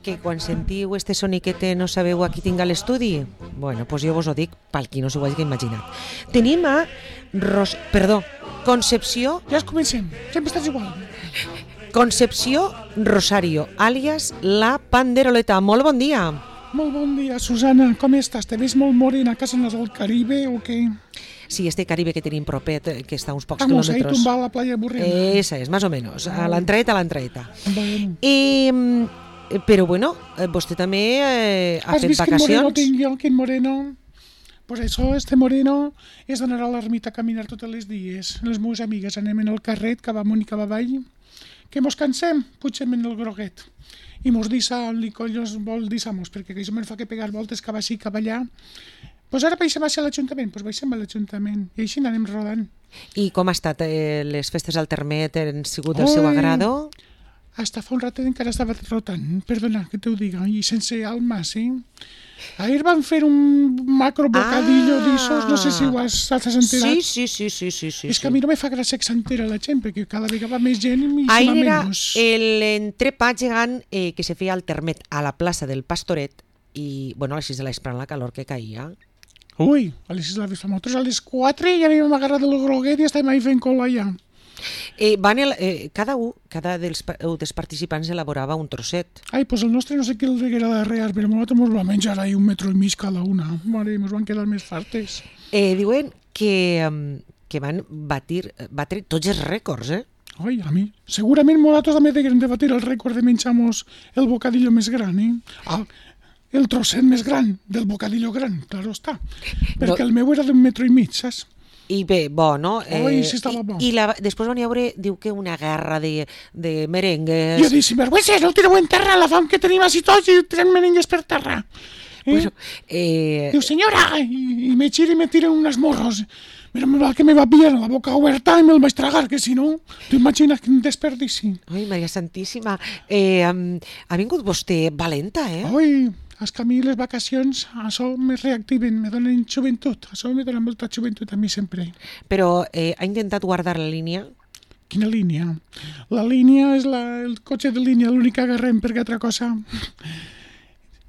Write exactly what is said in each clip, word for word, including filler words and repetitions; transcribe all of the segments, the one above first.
Que quan sentiu este soniquet no sabeu a qui tinc a l'estudi? Bueno, doncs jo vos ho dic pel qui no s'ho hagi imaginat. Tenim a Ros... Perdó, Concepció... Ja es comencem, sempre estàs igual. Concepció Rosario, àlies La Panderoleta. Molt bon dia. Molt bon dia, Susana. Com estàs? Te ves molt morena a casa del Caribe o què? Sí, este Caribe que tenim propet, que està a uns pocs Vamos, quilòmetres. ahí tumbar a la playa Burrena. Esa és, más o menos, a l'entraeta, a l'entraeta. Bueno. Eh, però bueno, vostè també eh, ha Has fet vist quin moreno vacacions? tinc jo, quin moreno? Pues això, este moreno, és d'anar a l'ermita a caminar tots els dies. Les meves amigues anem en el carret que va amunt i que va avall. Que mos cansem, pugem en el groguet. I mos dissa el Nicollos vol dissamos, perquè això me'n fa que pegar voltes cap així, cap allà. Pues ara baixem a l'Ajuntament, pues baixem a l'Ajuntament i així anem rodant. I com ha estat? Eh, les festes al Termet han sigut del seu agrado? Hasta fa un ratet encara estava rotant, perdona que te ho diga, i sense alma, sí. Ahir van fer un macro bocadillo ah. d'issos, no sé si ho has, has enterat. Sí, sí, sí, sí, sí, sí. És que a mi no me fa gràcia que s'entera la gent, perquè cada vegada va més gent i Ahir va era menys. l'entrepà gegant eh, que se feia al Termet a la plaça del Pastoret i, bueno, a les sis de l'esprant la calor que caïa. Ui, a les sis de la vespre, nosaltres a les quatre ja havíem agarrat el groguet i estàvem ahí fent cola ja. Eh, van el, eh, cada un, cada dels, dels participants elaborava un trosset. Ai, pues el nostre no sé què el deguera de rear, però nosaltres mos va menjar ahí un metro i mig cada una. Mare, mos van quedar més fartes. Eh, diuen que, que van batir, batre tots els rècords, eh? Ai, a mi, segurament nosaltres també degueren de batir el rècord de menjar-nos el bocadillo més gran, eh? Ah, el trosset més gran del bocadillo gran, claro està. Perquè no. El meu era d'un metro i mig, saps? I bé, bo, no? Eh, Oi, sí estava bo. I, i la, després van veure, diu que una guerra de, de merengues... Jo dic, si vergüences, no ho tireu en terra, la fam que tenim així tots i tirem merengues per terra. Eh? Bueno, eh... Diu, senyora, i, i me gira i me tira unes morros. Mira, me va que me va pillar la boca oberta i me'l vaig tragar, que si no, t'ho imagines quin desperdici. Ai, Maria Santíssima, eh, ha vingut vostè valenta, eh? Ai, és que a mi les vacacions, això me reactiven, me donen joventut, això me dona molta joventut a mi sempre. Però eh, ha intentat guardar la línia? Quina línia? La línia és la, el cotxe de línia, l'únic que agarrem, perquè altra cosa...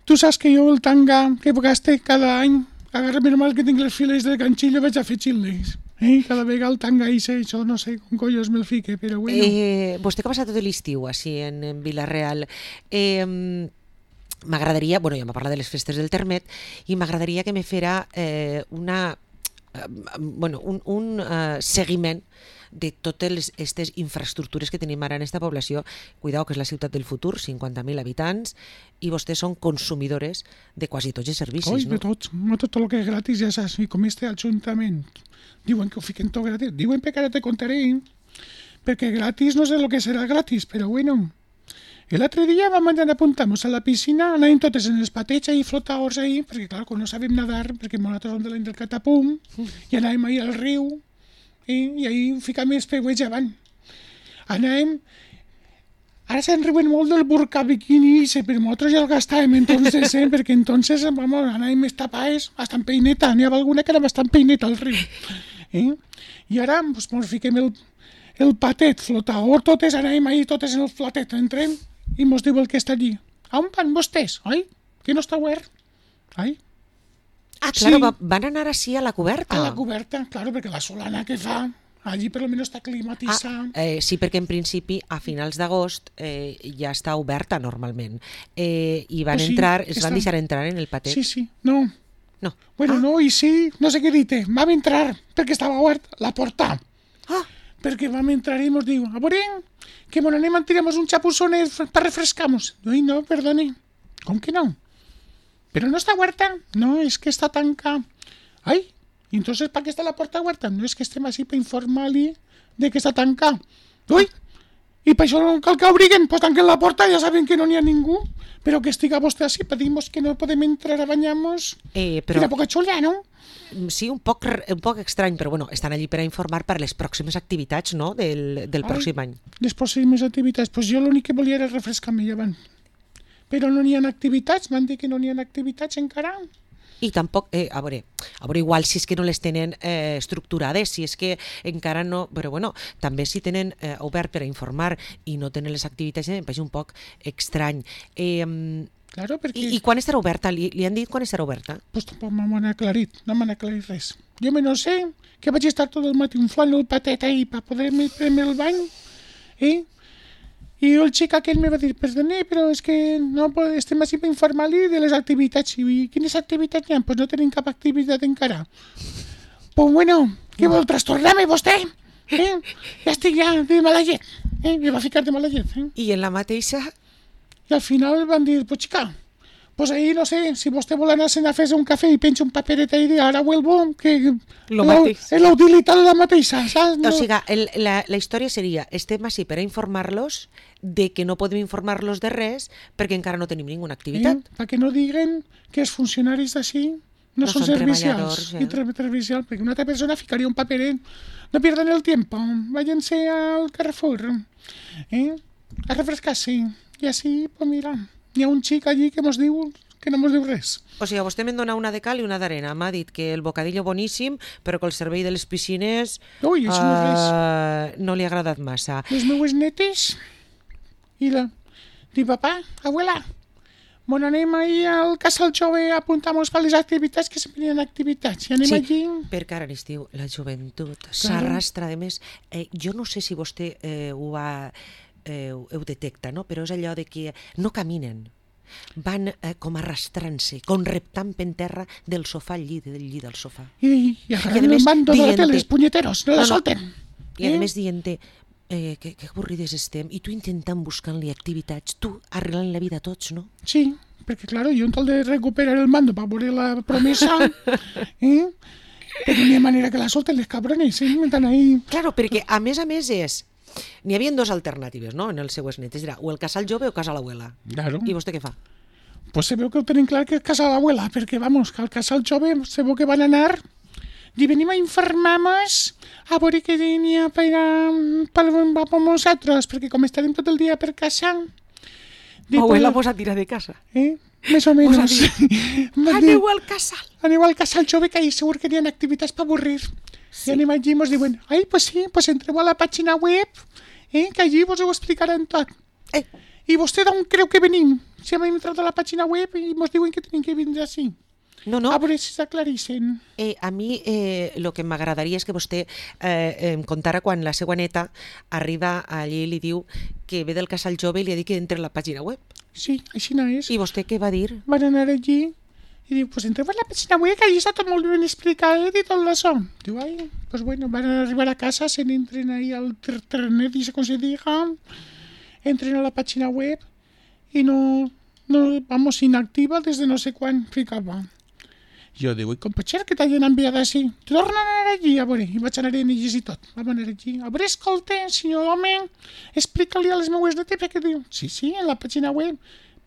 Tu saps que jo el tanga que gaste cada any, agarra normal que tinc les files del ganxillo, vaig a fer xilles. Eh? Cada vegada el tanga i això no sé com collos me'l fique, però bueno... Eh, vostè que ha passat tot l'estiu així en, en Vila-real, eh... m'agradaria, bueno, ja m'ha parlat de les festes del Termet, i m'agradaria que me fera eh, una, eh, bueno, un, un eh, seguiment de totes aquestes infraestructures que tenim ara en aquesta població. Cuidao, que és la ciutat del futur, cinquanta mil habitants, i vostès són consumidores de quasi tots els servicis, Oi, no? de tots, no tot el que és gratis, ja saps, i com este ajuntament. Diuen que ho fiquen tot gratis, diuen que ara te contaré, perquè gratis no sé el que serà gratis, però bueno... I l'altre dia vam anar a apuntar-nos a la piscina, anàvem totes en els patets i flotadors ahí, perquè clar, quan no sabem nadar, perquè nosaltres som de l'any del catapum, i anàvem ahí al riu, i, i ahí ficàvem els peuets avant. Anàvem... Ara se'n riuen molt del burka bikini, però nosaltres ja el gastàvem entonces, eh? Perquè entonces vamos, anàvem més tapades, hasta en peineta, n'hi havia alguna que era bastant peineta al riu. Eh? I ara pues, ens fiquem el, el patet flotador, totes anàvem ahí, totes en el flatet, entrem, i mos diu el que està allí. On van vostès? Oi? Que no està obert? Ai? Ah, claro, Sí. van anar així a la coberta. A la coberta, claro, perquè la solana que fa, allí per almenys està climatitzada. Ah, eh, sí, perquè en principi a finals d'agost eh, ja està oberta normalment. Eh, I van Pues sí, entrar, es està- van deixar entrar en el patet. Sí, sí, no. No. Bueno, ah. no, i sí, no sé què dir-te. Vam entrar, perquè estava obert la porta. Ah, Perquè vam entrar i mos diu, a veure, que mon anem a tirar-nos un chapuzones per refrescar-nos. Ai, no, perdone. Com que no? Però no està oberta. No, és que està tancada. Ai, i entonces per què està la porta oberta? No, és que estem així per informar-li de que està tancada. Ui, i per això no cal que obriguen, pues tanquen la porta, ja saben que no n'hi ha ningú. Però que estiga vostè així, per dir-nos que no podem entrar a banyar-nos. eh, però... Quina poca xulla, no? Sí, un poc, un poc estrany, però bueno, estan allí per a informar per les pròximes activitats, no?, del, del Ai. pròxim any. Les pròximes activitats, doncs jo l'únic que volia era refrescar-me llevant. Però no n'hi ha activitats, m'han dit que no n'hi ha activitats encara. I tampoc, eh, a veure, a veure, igual si és que no les tenen eh, estructurades, si és que encara no, però bueno, també si tenen eh, obert per a informar i no tenen les activitats, em pareix un poc estrany. Eh, Claro, perquè... i, I quan estarà oberta? Li, li han dit quan estarà oberta? Pues tampoc m'han aclarit, no m'han aclarit res. Jo me no sé que vaig estar tot el matí inflant el patet ahí per poder-me prendre el bany, eh? I el xic aquell me va dir, perdone, però és que no pod- estem així per informar-li de les activitats. I quines activitats hi ha? Pues no tenim cap activitat encara. Pues bueno, què vol trastornar-me vostè? Eh? Ja estic ja de mala llet. Eh? Me va ficar de mala llet. Eh? I en la mateixa... I al final van dir, pues xica, pues ahí no sé, si vostè vol anar-se'n a fer un cafè i penja un paperet ahí de ara vuelvo, que Lo la- mateix. és la utilitat la mateixa, saps? O sigui, el, la, la història seria, estem així per a informar-los de que no podem informar-los de res perquè encara no tenim ninguna activitat. Eh? Perquè no diguen que els funcionaris d'ací no, No són són servicials. treballadors, eh? I tre- servicials, perquè una altra persona ficaria un paperet. No pierdan el tiempo, váyanse al Carrefour, eh? a refrescarse. I així, pues mira, hi ha un xic allí que mos diu que no mos diu res. O sigui, vostè me'n dona una de cal i una d'arena. M'ha dit que el bocadillo boníssim, però que el servei de les piscines Ui, això no és res. eh, no li ha agradat massa. Les meues netes i la... Dic, papà, abuela, bon anem ahir al casal jove a apuntar-nos per les activitats, que sempre hi ha activitats. I anem Sí, allí... perquè ara en estiu la joventut s'arrastra. A més, eh, jo no sé si vostè eh, ho va... Eh, ho detecta, no? Però és allò de que no caminen, van eh, com arrastrant-se, com reptant per terra del sofà al llit, del llit al sofà. I, i a agarrant el més, mando de la dient-te- tele, els punyeteros, no la No, no. solten. I a més dient-te eh, que, que avorrides estem, i tu intentant buscar-li activitats, tu arreglant la vida a tots, no? Sí, perquè, claro, jo en tal de recuperar el mando per veure la promesa, eh? però no hi ha manera que la solten les cabrones, eh? Estan ahí... Claro, perquè a més a més és... N'hi havia dues alternatives, no?, en els seues netes. Era o el casal jove o casa l'abuela. Claro. I vostè què fa? Pues se veu que ho tenen clar que és casa de l'abuela, perquè, vamos, que al casal jove se veu que van anar i venim a informar-nos a veure què n'hi ha per, a, per, per nosaltres, perquè com estarem tot el dia per casa... dic, Abuela, pues, vos a tirar de casa. eh? Més o menys. Aneu al casal. Aneu al casal jove, que ahí segur que n'hi ha activitats per avorrir. Sí. I anem allí i ens diuen, ai, pues sí, pues entreu a la pàgina web, eh, que allí vos ho explicaran tot. Eh, I vostè d'on creu que venim? Si hem entrat a la pàgina web i ens diuen que tenim que vindre així. no, no. A veure si s'aclareixen. Eh, a mi eh, el que m'agradaria és que vostè eh, em contara quan la seva neta arriba allí i li diu que ve del casal jove i li ha dit que entre a la pàgina web. Sí, així no és. I vostè què va dir? Van anar allí i diu, pues entreu a la pàgina web, que allí està tot molt ben explicat i tot això. Diu, ai, pues bueno, van arribar a casa, se n'entren ahí al internet i se com se diga, entren a la pàgina web i no, no, vamos, inactiva des de no sé quan ficava. Jo diu, i com pot ser que t'hagin enviat així? Torna a anar allí, a veure, i vaig anar a llegir tot. Vam anar allí, a veure, escolta, senyor home, explica-li a les meues netes, perquè diu, sí, sí, en la pàgina web,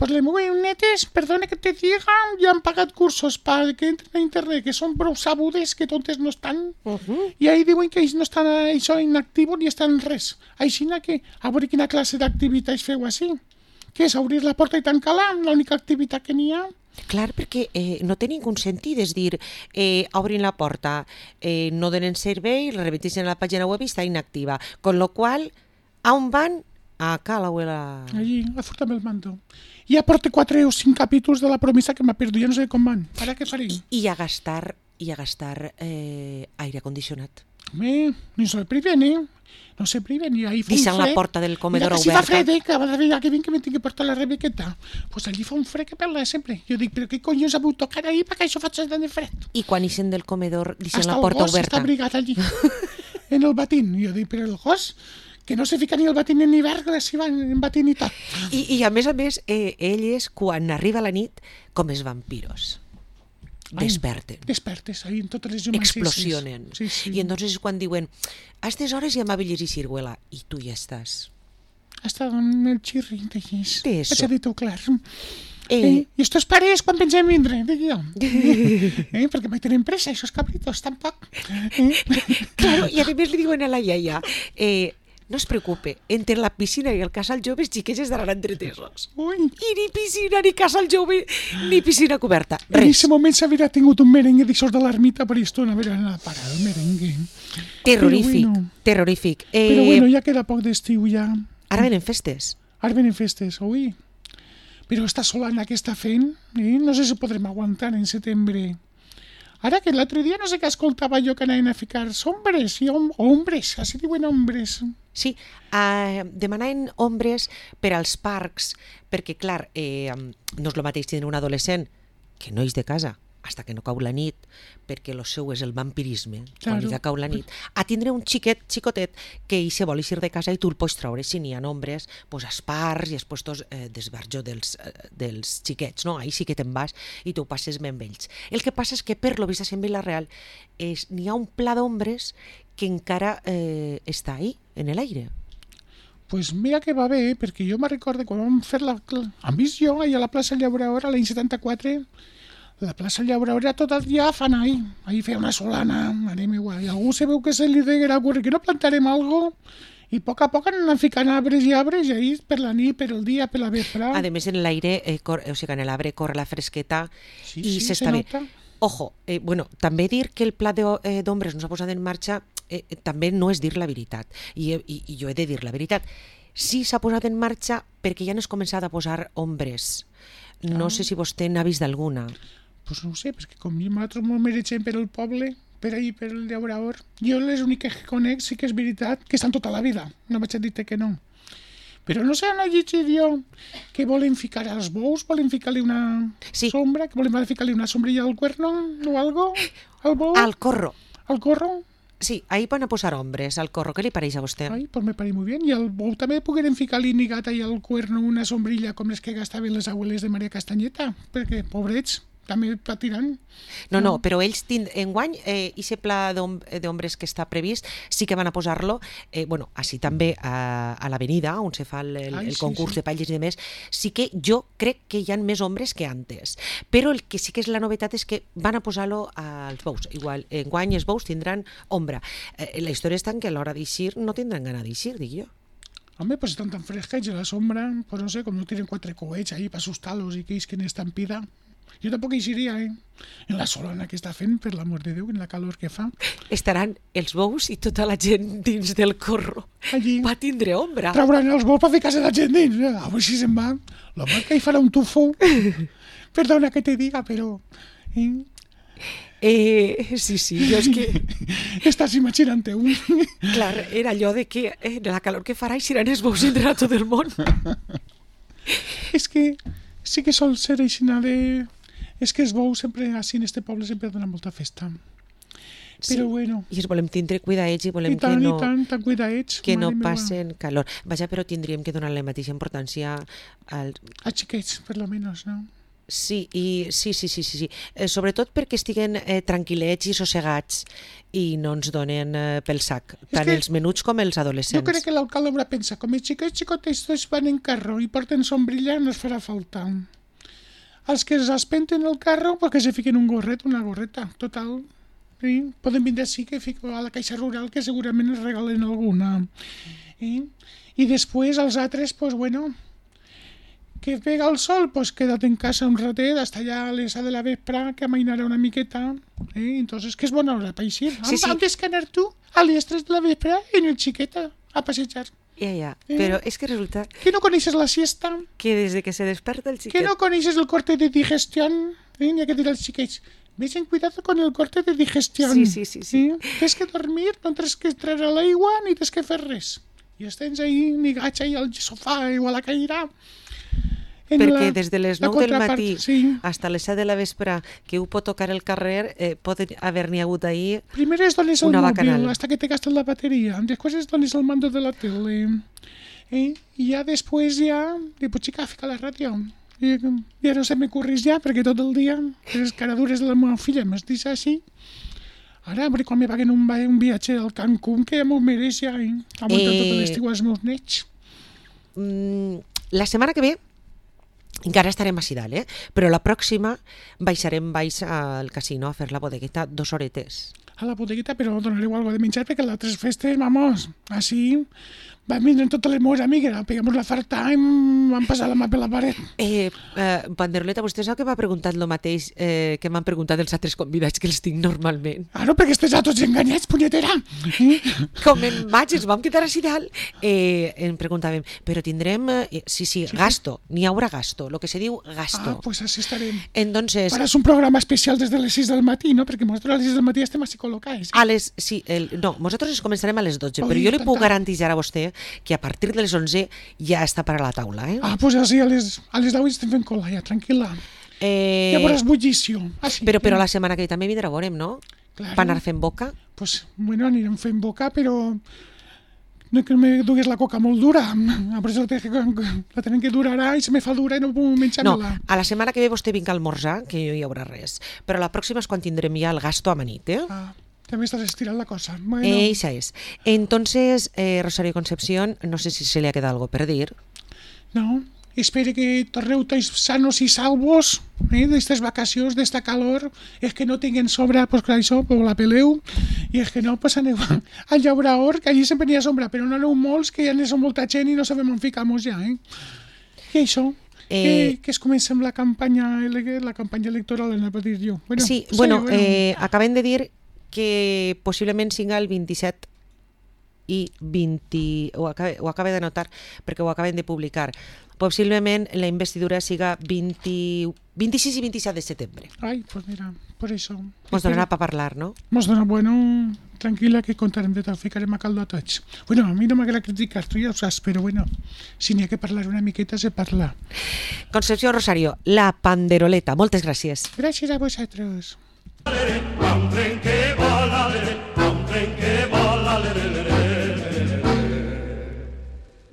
pues les meues netes, perdona que te diga, ja han pagat cursos para que entren a internet, que són prou sabudes, que tontes no estan, Uh -huh. i ahí diuen que ells no estan això inactius ni estan res. Així que, a veure quina classe d'activitats feu així. Què és, obrir la porta i tancar-la? L'única activitat que n'hi ha? Clar, perquè eh, no té ningú sentit, és dir, eh, obrin la porta, eh, no donen servei, la repeteixen a la pàgina web i està inactiva. Con lo qual, a on van? A ca l'abuela. Allí, a furtar-me el mando. Ja porto quatre o cinc capítols de la promesa que m'ha perdut, ja no sé com van. Ara què faré? I a gastar, i a gastar eh, aire condicionat. Home, no se priven, eh? No se priven, i ahí fa un Deixant la fred. porta del comedor Mira que si oberta. fa fred, eh? Cada vegada que vinc que me tinc que portar la Rebequeta. Pues allí fa un fred que perla sempre. Jo dic, però què collons ha hagut tocar ahí perquè això faig tant de fred? I quan ixen del comedor, deixant Hasta la el porta gos oberta. està abrigat allí, en el batín. Jo dic, però el gos, que no se fica ni el batín en hivern, que s'hi va en batín i tot. I, I a més a més, eh, elles, quan arriba la nit, com els vampiros, Ai, desperten, Despertes, ahí en totes les llums. explosionen. Sí, sí. I entonces és quan diuen, a aquestes hores ja m'ha de llegir ciruela, i tu ja estàs. Hasta amb el xirri, diguis. Què és Vaig a dir-t'ho clar. Eh, Eh, I estos pares quan pensem vindre, dic jo. eh, perquè mai tenen pressa, aquests cabritos, tampoc. Eh? Claro, i a més li diuen a la iaia, eh, no es preocupe, entre la piscina i el casal jove els xiquets estaran entretesos. Ui, I ni piscina, ni casal jove, ni piscina coberta. en Res. aquest moment s'haurà tingut un merengue d'aixòs de l'ermita per estona, haurà anat a parar el merengue. Terrorífic, Però bueno. terrorífic. Eh, Però bueno, ja queda poc d'estiu ja. Ara venen festes. Ara venen festes, ui. Però esta solana que està fent, eh? No sé si podrem aguantar en setembre. Ara que l'altre dia no sé què escoltava jo que anaven a ficar sombres i om ombres, així diuen ombres. Sí, eh, demanaven ombres per als parcs, perquè, clar, eh, no és el mateix tindre un adolescent que no és de casa, hasta que no cau la nit, perquè el seu és el vampirisme, quan Claro. ja cau la nit, a tindre un xiquet, xicotet, que ell se vol eixir de casa i tu el pots treure, si n'hi ha ombres, pues, als parcs i als puestos eh, d'esbarjo dels, eh, dels xiquets, no? Ahí sí que te'n vas i tu passes bé amb ells. El que passa és que, per lo vist en Vila-real, és- n'hi ha un pla d'ombres que encara eh, està ahí, en l'aire. Pues mira que va bé, perquè jo me recordo quan vam fer la... Han vist jo ahir a la plaça Llauradora l'any setanta-quatre, la plaça Llauradora tot el dia fan ahí, ahí feia una solana, anem igual, i algú se veu que se li deguerà ocurrir que no plantarem algo, i a poc a poc anem ficant arbres i arbres, i ahí per la nit, per el dia, per la vespre. A més, en l'aire, eh, cor- o sigui, en l'arbre corre la fresqueta Sí, i sí, s'està se bé. nota. Ojo, eh, bueno, també dir que el pla de- eh, d'ombres no s'ha posat en marxa eh, eh, també no és dir la veritat. I, i, I jo he de dir la veritat. Sí s'ha posat en marxa perquè ja no es començat a posar ombres. No Ah. sé si vostè n'ha vist alguna. Pues no ho sé, perquè com nosaltres ens mereixem per el poble, per ahí, per el llaurador, jo les úniques que conec sí que és veritat que estan tota la vida, no vaig a dir-te que no. Però no sé, no he llegit jo que volen ficar als bous, volen ficar-li una Sí. sombra, que volen ficar-li una sombrilla al cuerno o algo, al bou, Al corro. al corro. Sí, ahí van a posar ombres, al corro. Què li pareix a vostè? Ai, pues me pareix molt bé. I al bou també pogueren ficar-li ni gata i al cuerno una sombrilla com les que gastaven les abueles de Maria Castanyeta, perquè, pobrets, també patiran. No, no, però ells tind... enguany, eh, ese pla d'om- d'ombres que està previst, sí que van a posar-lo, eh, bueno, així també a, a l'avenida, on se fa el, el, Ai, el sí, concurs sí. de palles i demés, sí que jo crec que hi ha més ombres que antes. Però el que sí que és la novetat és que van a posar-lo als bous. Igual, enguany els bous tindran ombra. Eh, la història és tant que a l'hora d'eixir no tindran gana d'eixir, dic jo. Home, pues estan tan fresquets a la sombra, pues no sé, com no tiren quatre coets ahí para asustar-los i que isquen estampida. Jo tampoc eixiria, eh? En la solana que està fent, per l'amor de Déu, en la calor que fa. Estaran els bous i tota la gent dins del corro. Allí Va tindre ombra. trauran els bous per ficar-se la gent dins. eh? A veure si se'n va. L'home que hi farà un tufo. Perdona que te diga, però... Eh? Eh, sí, sí, jo és que... Estàs imaginant-te un... Clar, era allò de que eh, la calor que farà eixiran els bous entre a tot el món. És que sí que sol ser així de... És que els bous sempre, així en este poble, sempre donen molta festa. Però Sí. bueno, I els volem tindre cuidadets i volem i tant, que no, i tant, tan cuidadets. que no mare meva. passen calor. Vaja, però tindríem que donar la mateixa importància al... A xiquets, per lo menos, no? Sí, i, sí, sí, sí, sí, sí. Eh, sobretot perquè estiguen eh, tranquil·lets i sossegats i no ens donen eh, pel sac, tant que els menuts com els adolescents. Jo crec que l'alcalde haurà pensat, com els xiquets xicotes tots van en carro i porten sombrilla, no es farà falta. Els que es espenten el carro, pues que se fiquen un gorret, una gorreta, total. Sí? Poden vindre així que fico a la caixa rural, que segurament es regalen alguna. Eh? I després els altres, pues bueno, que pega el sol, pues queda't en casa un ratet, hasta allá a les de la vespre, que amainarà una miqueta. Eh? Entonces, que és bona hora per eixir. Sí, sí. Antes que anar tu a les tres de la vespre en el xiqueta a passejar. Ja, ja. Eh? Però és que resulta Que no coneixes la siesta, que des de que se desperta el que xiquet... no coneixes el corte de digestión, eh? N'hi ha que dir als xiquets, vés cuidado con el corte de digestión. Sí, sí, sí, sí. Eh? Tens que dormir, no tens que entrar a l'aigua ni tens que fer res. I estens ahí, ni gatxa ahí al sofà o a la caïra. En Perquè la- des de les la nou del contrapart, matí Sí. hasta les set de la vespre que ho pot tocar el carrer, eh, pot haver-n'hi hagut ahir... Primer es dones el Una mòbil bacanal. hasta que te gastes la bateria. Después es dones el mando de la tele. Eh? I ja després ja... Dic, pues xica, fica la ràdio. I ja no se m'ocurris ja, perquè tot el dia les caradures de la meva filla m'has dit així. Ara, hombre, quan me paguen un, va- un viatge al Cancún, que ja m'ho mereix ja, eh? Aguantar Eh, tot l'estiu als meus nets. Mm, la setmana que ve encara estarem a Sidal, eh? Però la pròxima baixarem baix al casino a fer la bodegueta dos horetes. A la bodeguita, però donareu algo de menjar, perquè les altres festes, vamos, així, van vindre totes les meves amigues, pegamos la farta i van passar la mà per la paret. Eh, eh, Panderoleta, vostè sap que m'ha preguntat el mateix eh, que m'han preguntat els altres convidats que els tinc normalment. Ah, no, perquè estàs a tots enganyats, punyetera. Eh? Com en maig ens vam quedar així dalt, eh, em preguntàvem, però tindrem... Eh, sí, sí, gasto, n'hi haurà gasto, el que se diu gasto. Ah, pues així estarem. Entonces... Ara és un programa especial des de les sis del matí, no? Perquè nosaltres a les sis del matí estem així col·locats. A les, sí, el, no, nosaltres ens començarem a les dotze, Oi, però jo li tant, puc tant. garantir a vostè que a partir de les onze ja està per a la taula, eh? Ah, pues així a les, a les deu estem fent cola, ja, tranquil·la. eh Ja veuràs bullició. Així, però, però la setmana que ve també vindrà, veurem, no? Claro. Per anar fent boca. Pues, bueno, anirem fent boca, però no que me dugues la coca molt dura. A per això la tenen que durarà i se me fa dura i no puc menjar-me-la. No, a la setmana que ve vostè vinc a almorzar, que no hi haurà res. Però la pròxima és quan tindrem ja el gasto amanit, eh? Ah, també estàs estirant la cosa. Bueno, Esa es. Entonces, eh, Rosario Concepción, no sé si se le ha quedado algo per dir. no, espero que torneu tots sanos i salvos eh, d'estes vacacions, d'esta calor. És que no tinguin sobre, pues clar, això, pues la peleu. I és que no, pues aneu al Llauraor, que allí sempre n'hi ha sombra, però no aneu molts, que ja n'hi ha molta gent i no sabem on ficar-nos ja, eh? I això, Eh, que, que es comença amb la campanya, ele- la campanya electoral, anava a dir jo. Bueno, sí, bueno, eh, acabem de dir que possiblement siga el vint-i-set i vint... Ho acabe, ho acabe de notar perquè ho acabem de publicar. Possiblement la investidura siga vint, vint-i-sis i vint-i-set de setembre. Ai, pues mira, por això. Ens donarà per parlar, no? Mos dona, bueno, tranquil·la, que contarem de tot, ficarem a caldo a tots. Bueno, a mi no m'agrada criticar, tu ja ho saps, però bueno, si n'hi ha que parlar una miqueta, se parla. Concepció Rosario, la panderoleta. Moltes gràcies. Gràcies a vosaltres. Va un tren que vola, lere, va un tren que vola, lere, lere, lere.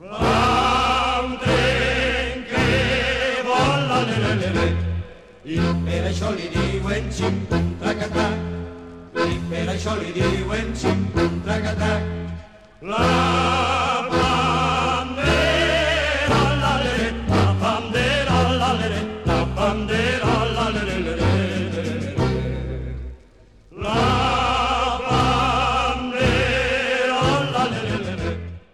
Va un tren que vola, lere, lere. I per això li diuen xim-pum, traca-trac. I per això li diuen xim-pum, traca-trac. La